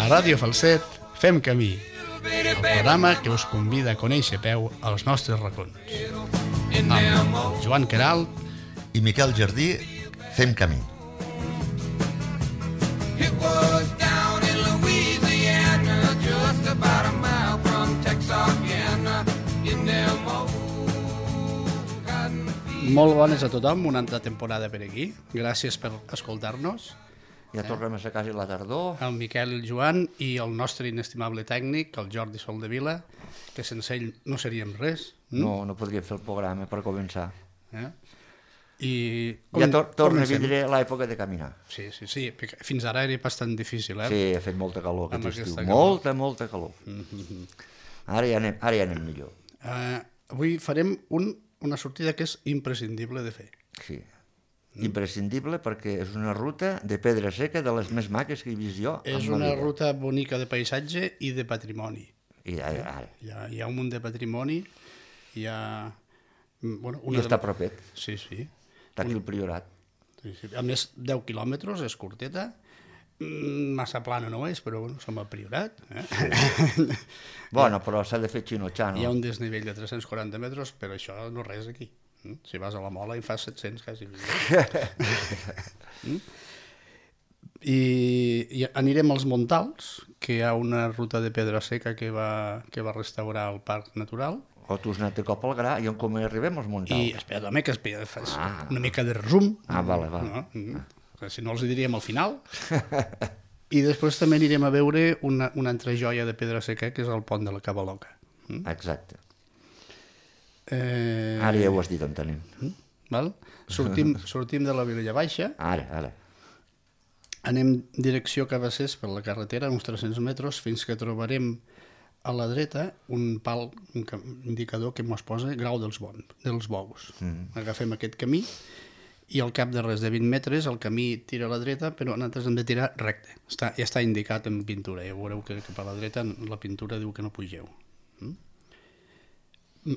A Ràdio Falset fem camí, el programa que us convida a conèixer a peu els nostres racons. Amb Joan Queralt i Miquel Jardí fem camí. Molt bones a tothom, una altra temporada per aquí. Gràcies per escoltar-nos. Ja tornem a ser quasi la tardor. El Miquel i el Joan i el nostre inestimable tècnic, el Jordi Soldevila, que sense ell no seríem res. No podria fer el programa per començar. I ja torna a vindre l'època de caminar. Sí, fins ara era bastant difícil, Sí, ha fet molta calor aquest estiu. Molta calor. Ara ja anem millor. Avui farem una sortida que és imprescindible de fer. Sí, imprescindible perquè és una ruta de pedra seca de les més maques que he vist jo. És una ruta bonica de paisatge i de patrimoni. Hi ha un munt de patrimoni, hi ha... I està propet. Sí. Està aquí el Priorat. A més, 10 quilòmetres, és curteta, massa plana no és, però som al Priorat. Bueno, però s'ha de fer xinotxano. Hi ha un desnivell de 340 metres, però això no és res aquí. Si vas a la Mola hi fas 700 quasi. I anirem als Montals, que hi ha una ruta de pedra seca que va restaurar el Parc Natural. O tu has anat de cop al gra i com arribem als Montals? I espera, que fas una mica de resum. Vale. Si no els hi diríem al final. I després també anirem a veure una altra joia de pedra seca, que és el pont de la Cavaloca. Exacte. Ara ja ho has dit on tenim. Sortim de la Vilella Baixa. Ara. Anem direcció Cabassers per la carretera, uns 300 metres, fins que trobarem a la dreta un pal, un indicador que ens posa grau dels bous. Agafem aquest camí i al cap de res de 20 metres el camí tira a la dreta, però nosaltres hem de tirar recte. Ja està indicat en pintura, ja veureu que cap a la dreta la pintura diu que no pugeu.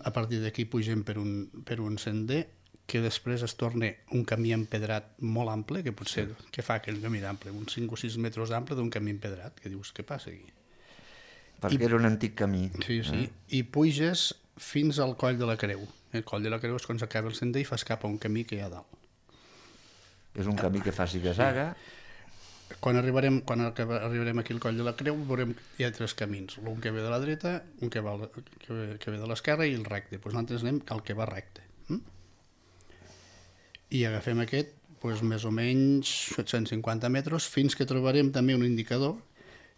A partir d'aquí pugem per un sender que després es torna un camí empedrat molt ample, que potser què fa aquell camí d'ample? Uns 5 o 6 metres d'ample d'un camí empedrat, que dius, què passa aquí? Perquè era un antic camí. Sí, i puges fins al Coll de la Creu. El Coll de la Creu és quan s'acaba el sender i fas cap a un camí que hi ha dalt. És un camí que fa ziga-zaga. Quan arribarem aquí al Coll de la Creu veurem que hi ha 3 camins, un que ve de la dreta, un que ve de l'esquerra i el recte. Doncs nosaltres anem al que va recte. I agafem aquest, més o menys 750 metres, fins que trobarem també un indicador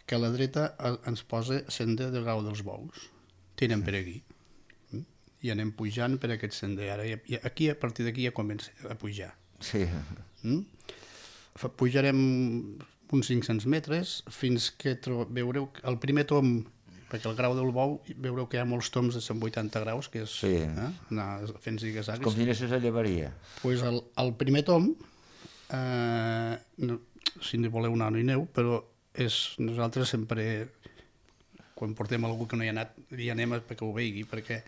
que a la dreta ens posa sender de grau dels bous. Tirem per aquí. I anem pujant per aquest sender. Ara, a partir d'aquí ja comença a pujar. Sí. Pujarem uns 500 metres fins que veureu el primer tom, perquè el grau del bou veureu que hi ha molts toms de 180 graus, que és anar fent ziga-zagues. Com si anessis a llevaria. Doncs el primer tom, si no voleu anar no hi aneu, però nosaltres sempre, quan portem algú que no hi ha anat, hi anem perquè ho vegi, perquè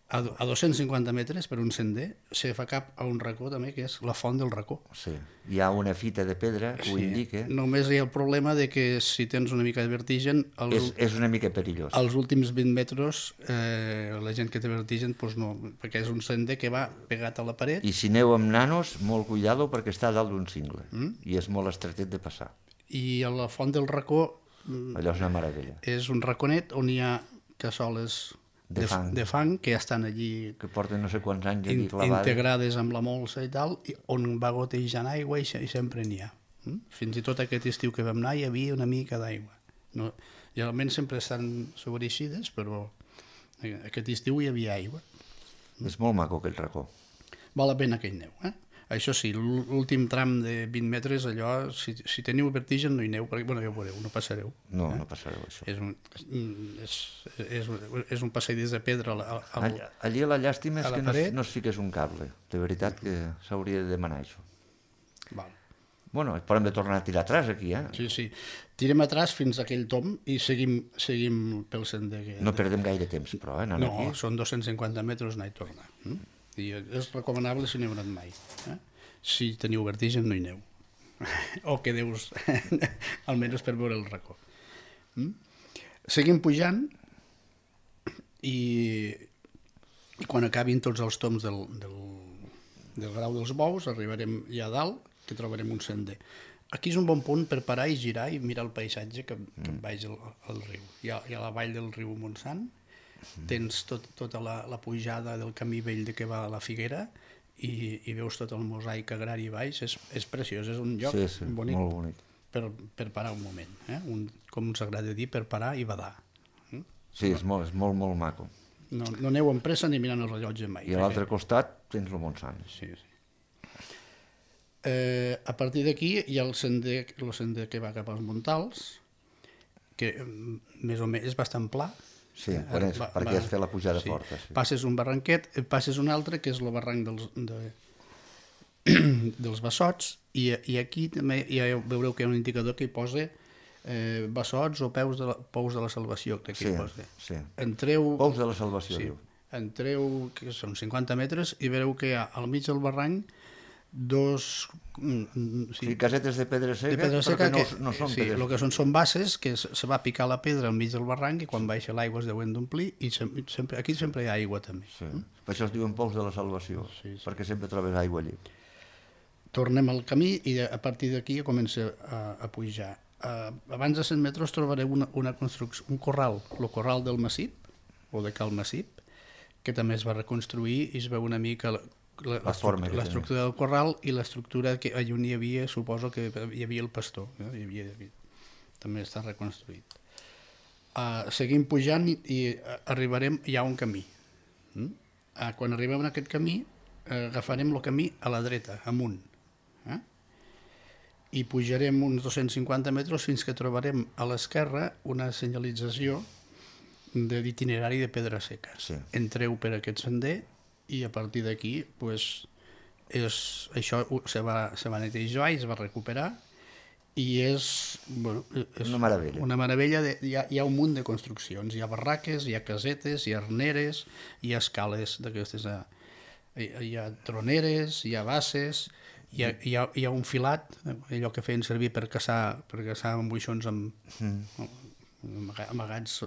a 250 metres per un sender se fa cap a un racó també, que és la Font del Racó. Sí, hi ha una fita de pedra que ho indica. Només hi ha el problema de que si tens una mica de vertigen... És una mica perillós. Els últims 20 metres, la gent que té vertigen, no, perquè és un sender que va pegat a la paret. I si aneu amb nanos, molt cuidado, perquè està dalt d'un cingle, i és molt estretet de passar. I a la Font del Racó... Allò és una meravella. És un raconet on hi ha cassoles de fang que ja estan allí que porten no sé quants anys allí clavades, integrades amb la molsa i tal, on va gotejant aigua i sempre n'hi ha. Fins i tot aquest estiu que vam anar hi havia una mica d'aigua. Generalment sempre estan sobreixides, però aquest estiu hi havia aigua. És molt maco aquell racó. Val la pena que hi aneu. Això sí, l'últim tram de 20 metres, allò, si teniu vertigen no hi aneu, perquè ja ho veureu, no passareu. No passareu, això. És un passadís de pedra. Allí la llàstima és que no es fiqués un cable. De veritat que s'hauria de demanar això. Val. Bueno, però hem de tornar a tirar atrás aquí, Sí. Tirem atrás fins a aquell tom i seguim pel sender. No perdem gaire temps, però, anant aquí. No, són 250 metres anar i tornar. I és recomanable si no heu anat mai. Si teniu vertigen no hi aneu. O quedeu-vos almenys per veure el racó. Seguim pujant i quan acabin tots els toms del Grau dels Bous arribarem ja a dalt, que trobarem un sender. Aquí és un bon punt per parar i girar i mirar el paisatge que baix al riu. Hi ha la vall del riu Montsant, tens tota la pujada del camí vell que va a la Figuera i veus tot el mosaic agrari baix. És preciós, és un lloc bonic, molt bonic per parar un moment, com ens agrada dir, per parar i badar. Sí, és molt, molt maco. No aneu amb pressa ni mirant el rellotge mai. I a l'altre costat tens el Montsant. Sí. A partir d'aquí hi ha el sender que va cap als Montals, que més o menys és bastant pla. Sí, perquè has fet la pujada forta. Sí. Passes un barranquet, passes un altre, que és el barranc dels Bassots, i aquí també veureu que hi ha un indicador que hi posa Bassots o Pous de la Salvació. Sí. Entreu, Pous de la Salvació, diu. Entreu, que són 50 metres, i veureu que hi ha al mig del barranc casetes de pedra seca, però que no són pedra seca. El que són basses, que se va picar la pedra al mig del barranc i quan baixa l'aigua es deuen d'omplir i aquí sempre hi ha aigua també. Sí. Per això es diuen Pous de la Salvació, perquè sempre trobes aigua allí. Tornem al camí i a partir d'aquí comença a pujar. Abans de 100 metres trobareu una construcció, un corral, el corral del Massip, o de Cal Massip, que també es va reconstruir i es veu una mica l'estructura del corral i l'estructura que allà on hi havia, suposo que hi havia el pastor, també està reconstruït. Seguim pujant i arribarem, hi ha un camí. Quan arribem a aquest camí agafarem el camí a la dreta, amunt, i pujarem uns 250 metres fins que trobarem a l'esquerra una senyalització d'itinerari de pedra seca. Entreu per aquest sender i a partir d'aquí això se va netejar i es va recuperar i és una meravella. Hi ha un munt de construccions, hi ha barraques, hi ha casetes, hi ha arneres, hi ha escales d'aquestes, hi ha troneres, hi ha basses, hi ha un filat, allò que feien servir per caçar moixons amagats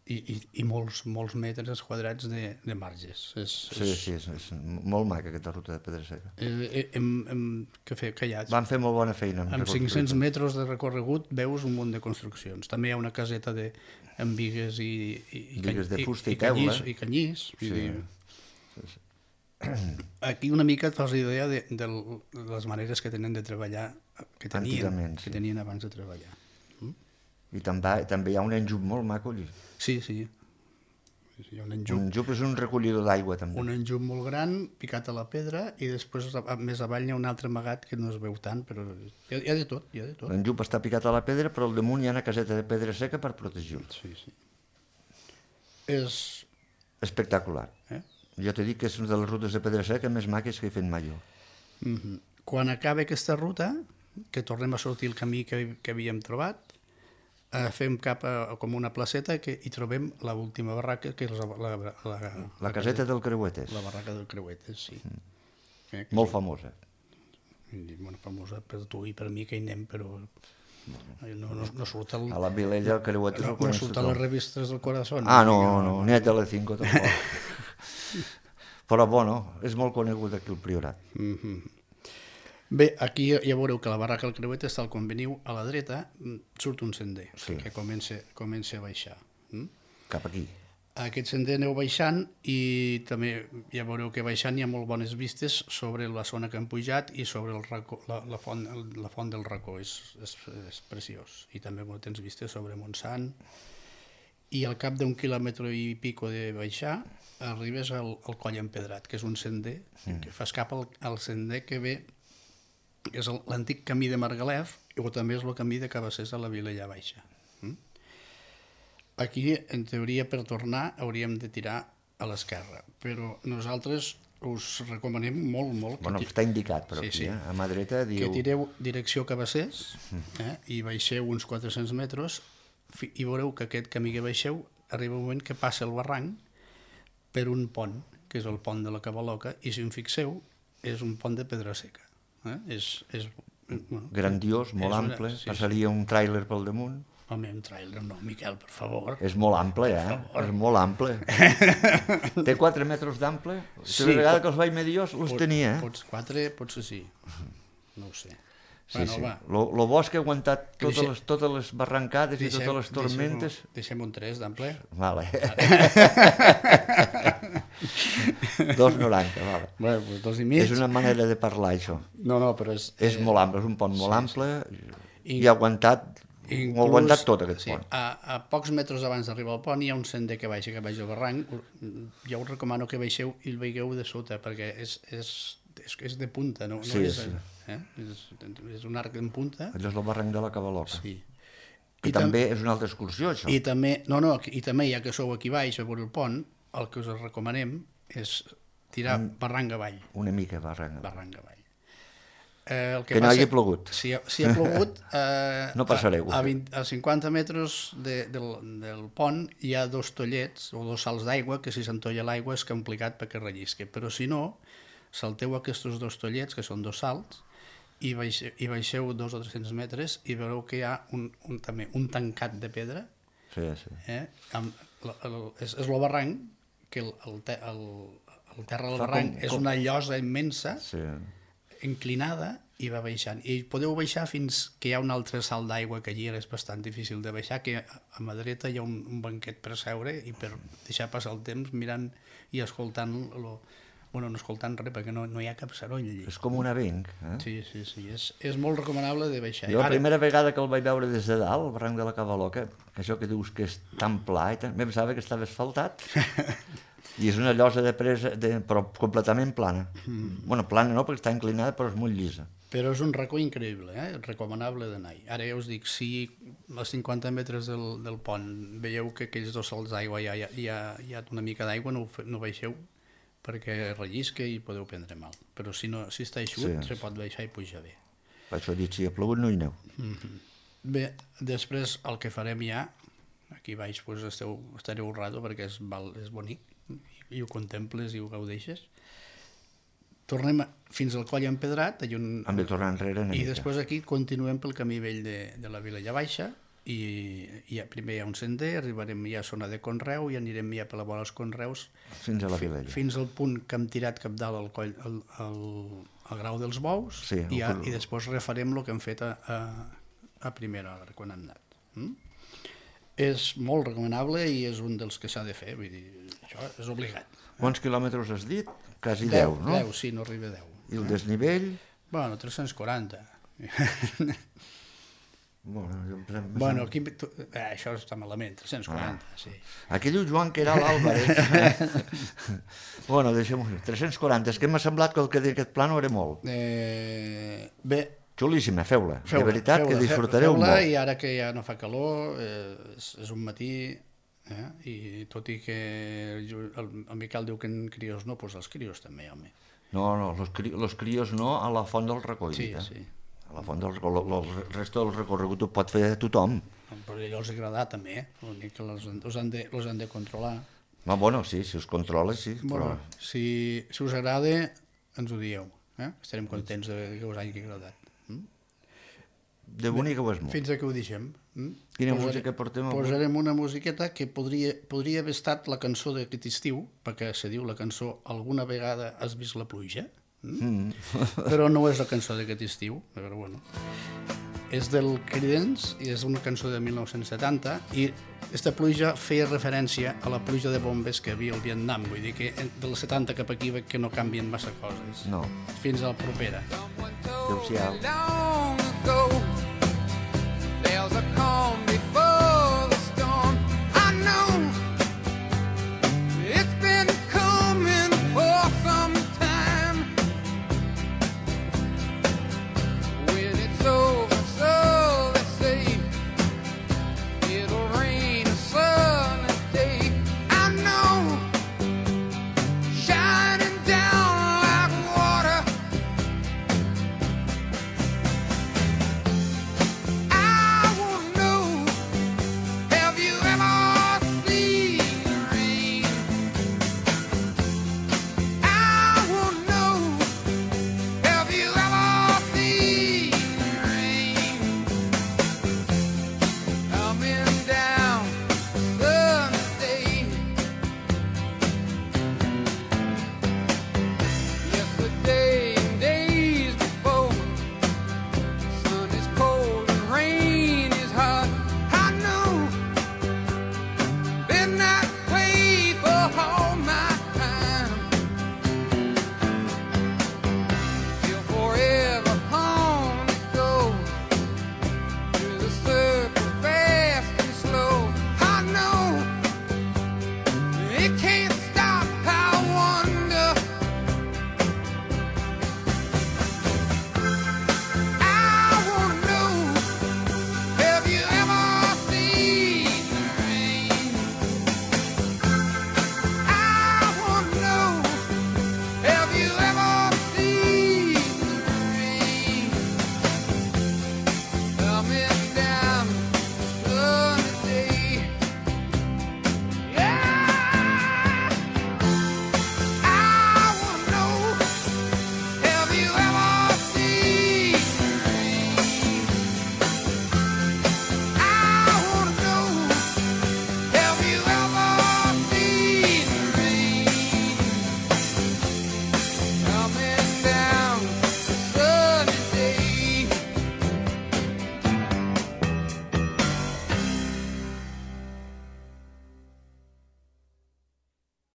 i molts metres quadrats de marges. Sí, és molt maca aquesta ruta de pedra seca. Van fer molt bona feina. Amb 500 metres de recorregut veus un munt de construccions. També hi ha una caseta amb bigues de fusta i teula. I canyís. Aquí una mica et fas idea de les maneres que tenen de treballar, que tenien abans de treballar. I també hi ha un enjup molt maco allí. Sí. Hi ha un enjup. Un enjup és un recollidor d'aigua també. Un enjup molt gran, picat a la pedra, i després més avall hi ha un altre amagat que no es veu tant, però hi ha de tot. L'enjup està picat a la pedra, però al damunt hi ha una caseta de pedra seca per protegir-lo. Sí. És espectacular. Jo t'he dit que és una de les rutes de pedra seca més maques que he fet mai jo. Quan acaba aquesta ruta, que tornem a sortir el camí que havíem trobat, fem cap a com una placeta que hi trobem l'última barraca, que és la caseta del Creuetes. La barraca del Creuetes, sí. Molt famosa. Molt famosa per tu i per mi que hi anem, però no surt a la Vilella del Creuetes no surt a les revistes del Corazón. No, ni a Telecinco tampoc. Però bueno, és molt conegut aquí el Priorat. Bé, aquí ja veureu que la barraca del Creuetes, tal com veniu a la dreta, surt un sender que comença a baixar. Cap aquí. Aquest sender aneu baixant i també ja veureu que baixant hi ha molt bones vistes sobre la zona que hem pujat i sobre la font del Racó. És preciós. I també tens vistes sobre Montsant. I al cap d'un quilòmetre i pico de baixar arribes al Coll Empedrat, que és un sender que fas cap al sender que ve, que és l'antic camí de Margalef, o també és el camí de Cabassers a la Vilella Baixa. Aquí, en teoria, per tornar hauríem de tirar a l'esquerra, però nosaltres us recomanem molt... Bueno, està indicat, però aquí, a mà dreta diu... Que tireu direcció Cabassers i baixeu uns 400 metres i veureu que aquest camí que baixeu arriba un moment que passa el barranc per un pont, que és el pont de la Cabaloca, i si en fixeu, és un pont de pedra seca. Grandiós, molt ample, passaria un tràiler pel damunt. Home, un trailer no, Miquel, per favor. És molt ample, És molt ample. Té 4 metres d'ample? Sí, La vegada que els vaig medir jo els tenia, 4, potser sí. No ho sé. Sí, sí. Lo bo és que he aguantat totes les barrancades i totes les tormentes. Deixem un 3 d'ample. Vale. 2,90, vale. Bueno, doncs 2,5. És una manera de parlar, això. No, però és... És molt ample, és un pont molt ample i ha aguantat tot aquest pont. A pocs metres abans d'arribar al pont hi ha un sender que baixa cap baix del barranc. Jo us recomano que baixeu i el veieu de sota, perquè és de punta, no? Sí, és, sí. És un arc en punta. Allò és el barranc de la Cabaloca. Sí. I també és una altra excursió, això. I també, ja que sou aquí baix a veure el pont, el que us recomanem és tirar barranc avall. Una mica barranc. Barranc avall. Que no hagi plogut. Si ha plogut, no passareu. A 50 metres del pont hi ha 2 tollets o 2 salts d'aigua, que si s'entolla l'aigua és complicat perquè rellisqui. Però si no, salteu aquests 2 tollets, que són 2 salts, i baixeu 200 o 300 metres i veureu que hi ha també un tancat de pedra. Sí, sí. És el barranc, que el terra del barranc és una llosa immensa, inclinada, i va baixant. I podeu baixar fins que hi ha un altre salt d'aigua, que allí és bastant difícil de baixar, que a mà dreta hi ha un banquet per seure i per deixar passar el temps mirant i escoltant bueno, no escoltant res, perquè no hi ha cap soroll allí. És com un avenc. Sí. És molt recomanable de baixar. Jo la primera vegada que el vaig veure des de dalt, el barranc de la Cabaloca, això que dius que és tan pla, em pensava que estava asfaltat. I és una llosa de presa, però completament plana. Bueno, plana no, perquè està inclinada, però és molt llisa. Però és un racó increïble, recomanable d'anar-hi. Ara ja us dic, si a 50 metres del pont veieu que aquells 2 salts d'aigua hi ha una mica d'aigua, no baixeu, perquè rellisca i podeu prendre mal. Però si està eixut, se pot baixar i pujar bé. Per això he dit, si ha plogut no hi aneu. Bé, després el que farem ja, aquí baix estareu un rato perquè és bonic, i ho contemples i ho gaudeixes. Tornem fins al coll empedrat, hem de tornar enrere una mica. I després aquí continuem pel camí vell de la Vilella Baixa, i primer hi ha un sender, arribarem ja a zona de conreu i anirem ja per la vora dels conreus fins a la Vilella. Fins al punt que hem tirat cap dalt al coll, al grau dels bous, i després refarem el que hem fet a primera hora, quan hem anat. És molt recomanable i és un dels que s'ha de fer, vull dir, això és obligat. Quants quilòmetres has dit? Quasi 10, no? 10, sí, no arriba a 10. I el desnivell? Bueno, 340. Bueno, aquí això està malament, 340, sí. Aquí diu Joan que era l'Àlvarez. Bueno, deixem-ho. 340, és que m'ha semblat que el que deia aquest pla no era molt. Bé. Xulíssima, feu-la. De veritat que disfrutareu molt. Feu-la, i ara que ja no fa calor, és un matí, i tot i que el Miquel diu que en crios no, doncs els crios també, home. No, els crios no, a la font del Recoll. Sí. A la font del Recoll, el resta del recorregut ho pot fer tothom. Però a els agrada també, l'únic que els han de controlar. Bueno, sí, si us controla, sí. Bueno, si us agrada, ens ho dieu. Estarem contents que us hagi agradat. De bonic ho és molt. Fins aquí ho deixem. Quina música portem avui? Posarem una musiqueta que podria haver estat la cançó d'aquest estiu, perquè se diu la cançó Alguna vegada has vist la pluja, però no és la cançó d'aquest estiu, però bueno. És del Creedence i és una cançó de 1970 i aquesta pluja feia referència a la pluja de bombes que hi havia al Vietnam, vull dir que dels 70 cap aquí que no canvien massa coses. No. Fins a la propera. Adéu-siau.